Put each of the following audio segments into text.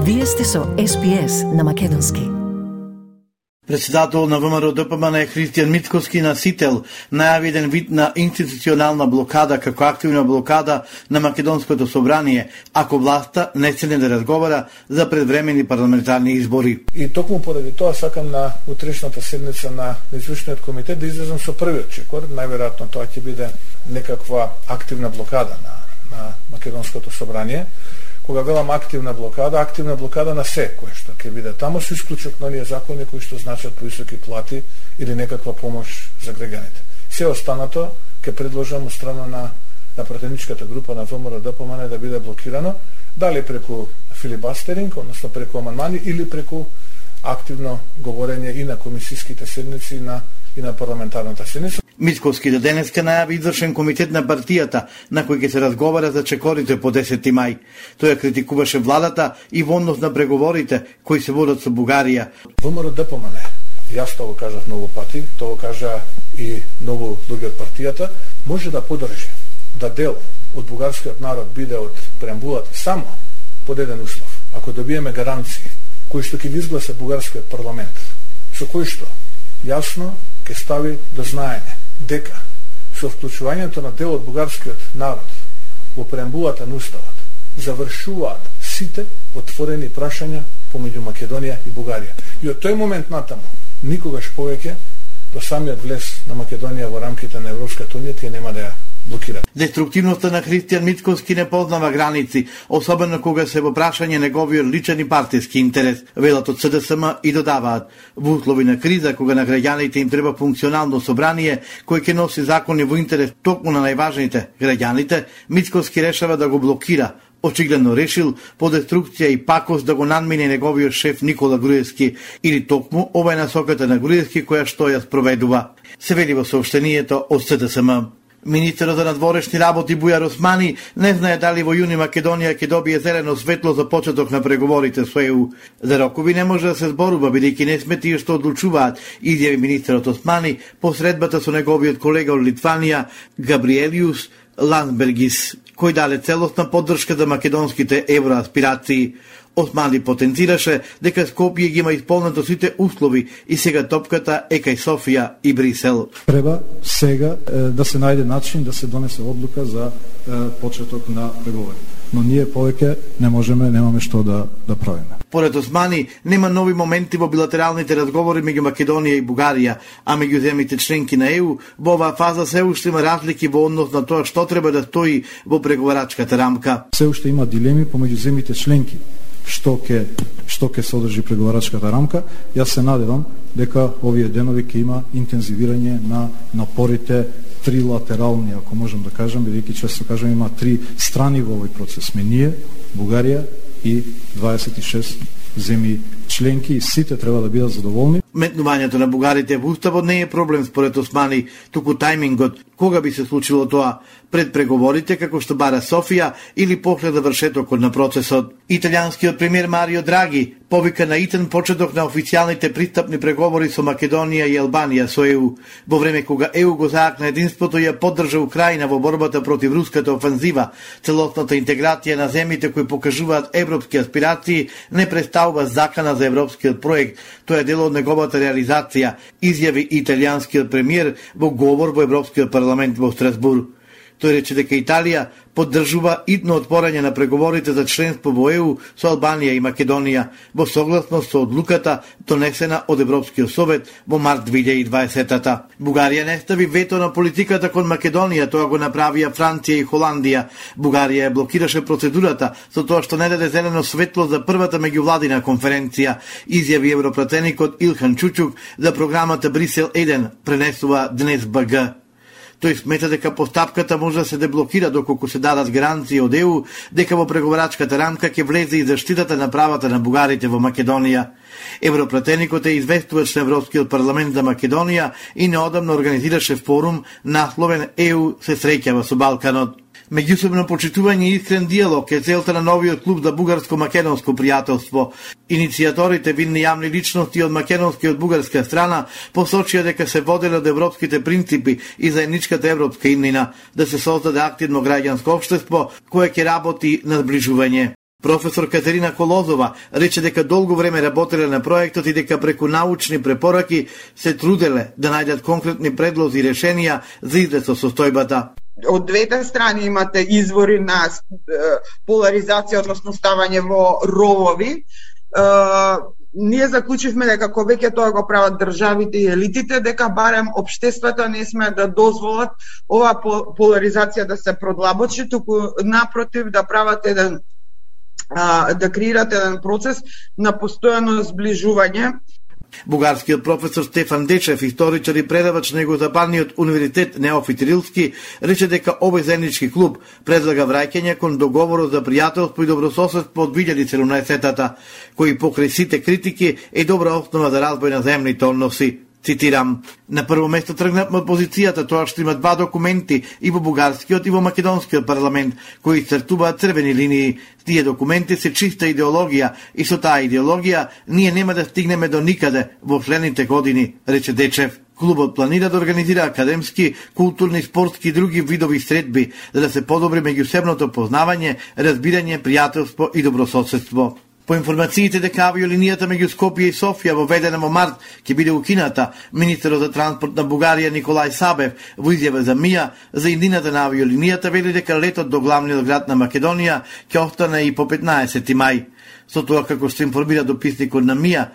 Вие сте со SPS на македонски. Председател на ВМРО ДПМН Христијан Мицкоски на Сител најави еден вид на институционална блокада како активна блокада на Македонското собрание, ако власта не седне да разговара за предвремени парламентарни избори. И токму поради тоа сакам на утрешната седница на извршниот комитет да излезам со првиот чекор. Најверојатно тоа ќе биде некаква активна блокада на Македонското собрание. Кога велам активна блокада на се кое што ќе биде таму, со исклучок на оние закони кои што значат повисоки плати или некаква помош за граѓаните. Се останато ќе предложам од страна на пратеничката група на ВМРО ДПМН да биде блокирано, дали преку филибастеринг, односно преку амандмани, или преку активно говорење и на комисиските седници и на парламентарната седница. Мицкоски до денеска најави извршен комитет на партијата на кој ќе се разговара за чекорите по 10 мај. Тој критикуваше владата и во однос на преговорите кои се водат со Бугарија. ВМРО ДПМН, јас тоа го кажав многу пати, тоа го кажа и многу луѓе од партијата, може да подржи да дел од бугарскиот народ биде од преамбулата само под еден услов. Ако добиеме гаранции кои што ќе ги изгласа бугарскиот парламент, со кои што јасно ќе стави до знаење дека со вклучувањето на дел од бугарскиот народ во преамбулата на уставот завршуваат сите отворени прашања помеѓу Македонија и Бугарија. И од тој момент натаму никогаш повеќе до самиот влез на Македонија во рамките на Европската унија тие нема да ја блокира. Деструктивноста на Христијан Мицкоски не познава граници, особено кога се во прашање неговиот личен и партиски интерес, велат од СДСМ и додаваат. Во услови на криза, кога на граѓаните им треба функционално собрание кој ќе носи закони во интерес токму на најважните граѓаните, Мицкоски решава да го блокира. Очигледно решил по деструкција и пакост да го надмине неговиот шеф Никола Груевски, или токму ова е насоката на Груевски која што ја спроведува. Се вели во соопштението од СДСМ. Министерот за надворешни работи Бујар Османи не знае дали во јуни Македонија ќе добие зелено светло за почеток на преговорите со ЕУ. За рокови не може да се зборува, бидејќи не сме тие што одлучуваат, изјави министерот Османи по средбата со неговиот колега од Литванија Габриелиус Ландсбергис, кој даде целосна поддршка за македонските евроаспирации. Османи потенцираше дека Скопје ги има исполнето сите услови и сега топката е кај Софија и Брисел. Треба сега да се најде начин да се донесе одлука за почеток на преговори. Но ние повеќе не можеме, немаме што да правиме. Поред Османи, нема нови моменти во билатералните разговори меѓу Македонија и Бугарија, а меѓу земјите членки на ЕУ во оваа фаза се уште има разлики во однос на тоа што треба да стои во преговарачката рамка. Се уште има дилеми помеѓу земјите членки што ќе содржи преговарачката рамка. Јас се надевам дека овие денови ќе има интензивирање на напорите трилатерални, ако можам да кажам, бидејќи често кажам има три страни во овој процес. Сме ние, Бугарија и 26 земји членки и сите треба да бидат задоволни. Метнувањето на бугарите во уставот не е проблем според Османи, туку тајмингот. Кога би се случило тоа? Пред преговорите како што бара Софија или после завршетокот на процесот? Италијанскиот премиер Марио Драги повика на итен почеток на официјалните пристапни преговори со Македонија и Албанија со ЕУ. Во време кога ЕУ го заакна единството и ја поддржа Украина во борбата против руската офанзива, целосната интеграција на земјите кои покажуваат европски аспирации не представува закана за европскиот проект. Тоа е дел од неговата реализација, изјави италијанскиот премиер во говор во Европскиот парламент во Страсбург. Тој рече дека Италија поддржува итно отворање на преговорите за членство во ЕУ со Албанија и Македонија во согласност со одлуката донесена од Европскиот совет во март 2020-та. Бугарија не стави вето на политиката кон Македонија, тоа го направија Франција и Холандија. Бугарија ја блокираше процедурата со тоа што не даде зелено светло за првата меѓувладина конференција, изјави европратеникот Илхан Чучук за програмата Брисел 1, пренесува Днес БГ. Тој смета дека постапката може да се деблокира доколку се дадат гаранции од ЕУ дека во преговарачката рамка ќе влезе и заштитата на правата на бугарите во Македонија. Европратеникот е известувач на Европскиот парламент за Македонија и неодамно организираше форум насловен ЕУ се среќава со Балканот. Меѓусебно почитување и искрен диалог е целта на новиот клуб за бугарско-македонско пријателство. Иницијаторите, видни јавни личности од македонска и од бугарска страна, посочија дека се воделе од европските принципи и заедничката европска иднина, да се создаде активно граѓанско општество кое ќе работи на зближување. Професор Катерина Колозова рече дека долго време работеле на проектот и дека преку научни препораки се труделе да најдат конкретни предлози и решенија за излез со состојбата. Од двете страни имате извори на поларизација, односно ставање во ровови. Ние заклучивме дека кога веќе тоа го прават државите и елитите, дека барем општествата не сме да дозволат оваа поларизација да се продлабочи, туку напротив да прават да креират еден процес на постојано зближување. Бугарскиот професор Стефан Дечев, историчар и предавач на Југозападниот универзитет Неофит Рилски, рече дека овој заеднички клуб предлага враќање кон договорот за пријателство и добрососедство од 2017-та, кој покрај сите критики е добра основа за разбој на земните односи. Цитирам: на прво место тргнавме од позицијата тоа што има два документи и во бугарскиот и во македонскиот парламент кои цртуваат црвени линии. Тие документи се чиста идеологија и со таа идеологија ние нема да стигнеме до никаде во следните години, рече Дечев. Клубот планира да организира академски, културни, спортски и други видови средби за да се подобри меѓусебното познавање, разбирање, пријателство и добрососедство. По информациите дека авиолинијата меѓу Скопје и Софија воведена во март ќе биде укината, министерот за транспорт на Бугарија Николај Сабев во изјава за МИА за иднината на авиолинијата вели дека летот до главниот град на Македонија ќе остане и по 15 мај. Со тоа, како што информира дописникот на МИА,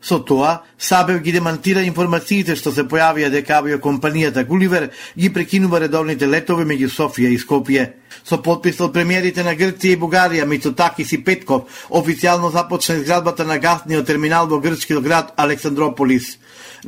со тоа, Сабев ги демантира информациите што се појавија дека авиокомпанијата Гуливер ги прекинува редовните летови меѓу Софија и Скопје. Со подпис од премиерите на Грција и Бугарија Мицотакис и Петков, официјално започна изградбата на гасниот терминал во грчкиот град Александрополис.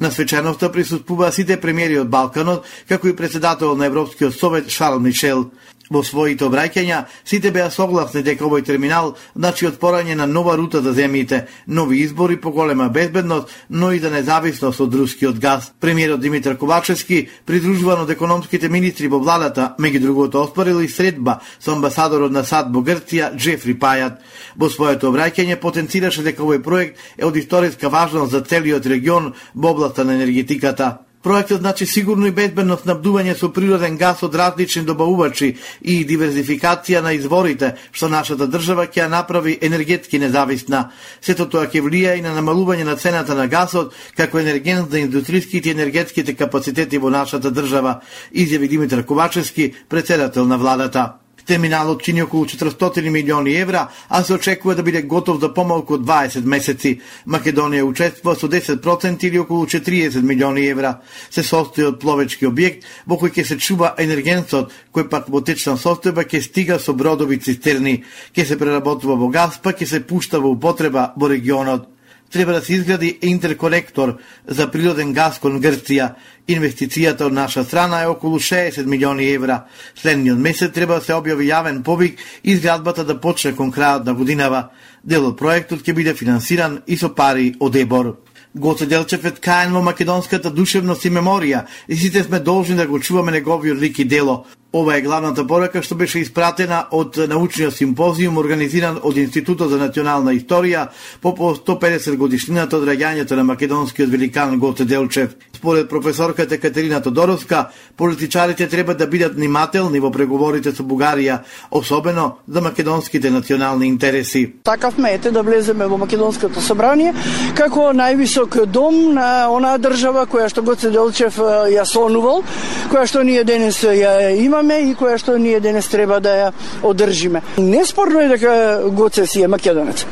На свеченоста присуствуваа сите премиери од Балканот, како и председател на Европскиот совет Шарл Мишел. Во своите обраќања, сите беа согласни дека овој терминал значи отпорање на нова рута за земјите, нови избори, поголема безбедност, но и за независност од рускиот газ. Премиерот Димитар Ковачевски, придружуван од економските министри во владата, меѓу другото оспорил и средба со амбасадорот на САД во Грција Джефри Пајат. Во своето обраќање потенцираше дека овој проект е од историска важност за целиот регион во областа на енергетиката. Проектот значи сигурно и безбедно снабдување со природен газ од различни добавувачи и диверзификација на изворите, што нашата држава ќе ја направи енергетски независна. Сето тоа ќе влија и на намалување на цената на газот, како енергент за индустриските и енергетските капацитети во нашата држава, изјави Димитар Ковачевски, председател на владата. Терминалот чини околу 400 милиони евра, а се очекува да биде готов за помалку од 20 месеци. Македонија учествува со 10% или околу 40 милиони евра. Се состои од пловечки објект во кој ќе се чува енергенсот, кој пак во течна состојба ќе стига со бродови цистерни, ќе се преработува во газ, па ќе се пушта во употреба во регионот. Треба да се изгради интерконектор за природен газ кон Грција. Инвестицијата од наша страна е околу 60 милиони евра. Следниот месец треба да се објави јавен повик и изградбата да почне кон крајот на годинава. Дел од проектот ќе биде финансиран и со пари од ЕБОР. Гоце Делчев е ткаен во македонската душевност и меморија и сите сме должни да го чуваме неговиот лик и дело. Ова е главната порака што беше испратена од научниот симпозиум организиран од Институтот за национална историја по 150 годишнината од раѓањето на македонскиот великан Гоце Делчев. Според професорката Катерина Тодоровска, политичарите треба да бидат внимателни во преговорите со Бугарија, особено за македонските национални интереси. Такавме ете да влеземе во македонското собрание како највисок дом на онаа држава која што Гоце Делчев ја сонувал, која што ние денес ја имаме и која што ние денес треба да ја одржиме. Неспорно е дека Гоце си е македонец.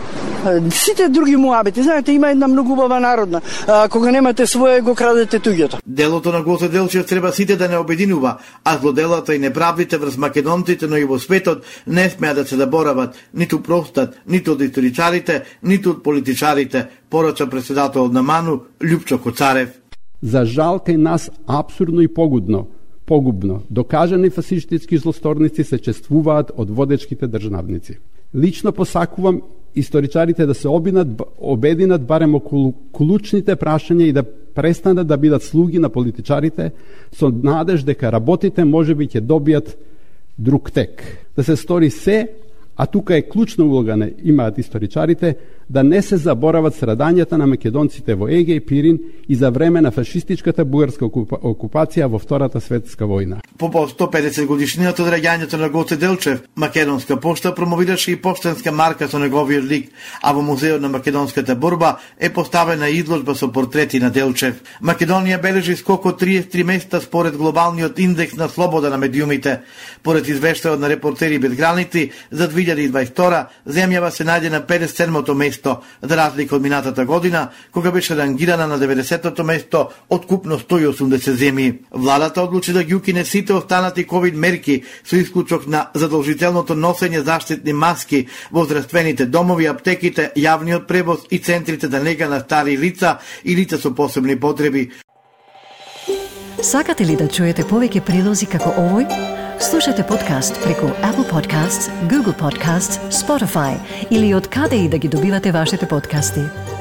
Сите други муабети, знаете, има една многу убава народна. Кога немате свое, го крадете туѓото. Делото на Гоце Делчев треба сите да не обединува, а злоделата и неправдите врз македонците, но и во светот не смеа да се заборават, ниту простат, ниту од историчарите, ниту од политичарите, порача председателот на МАНУ Љупчо Коцарев. За жал кај нас апсурдно и погубно, докажани фасистички злосторници се чествуваат од водечките државници. Лично посакувам историчарите да се обединат барем околу клучните прашања и да престанат да бидат слуги на политичарите со надеж дека работите можеби ќе добијат друг тек. Да се стори се, А тука е клучна улога имаат историчарите да не се заборават страдањата на македонците во Еге и Пирин и за време на фашистичката бугарска окупација во Втората светска војна. По 150 годишнината од раѓањето на Гоце Делчев, Македонска пошта промовираше и поштенска марка со неговиот лик, а во Музеот на македонската борба е поставена изложба со портрети на Делчев. Македонија бележи скок од 33 места според глобалниот индекс на слобода на медиумите. Поред извештајот на Репортери без граници за 2022 земјава се најде на 57-то место, за разлика од минатата година, кога беше рангирана на 90-то место од купно 180 земји. Владата одлучи да ги укине сите останати ковид мерки со исклучок на задолжителното носење заштитни маски во здравствените домови, аптеките, јавниот превоз и центрите за нега на стари лица и лица со посебни потреби. Сакате ли да чуете повеќе прилози како овој? Слушате подкаст преку Apple Podcasts, Google Podcasts, Spotify или од каде и да ги добивате вашите подкасти.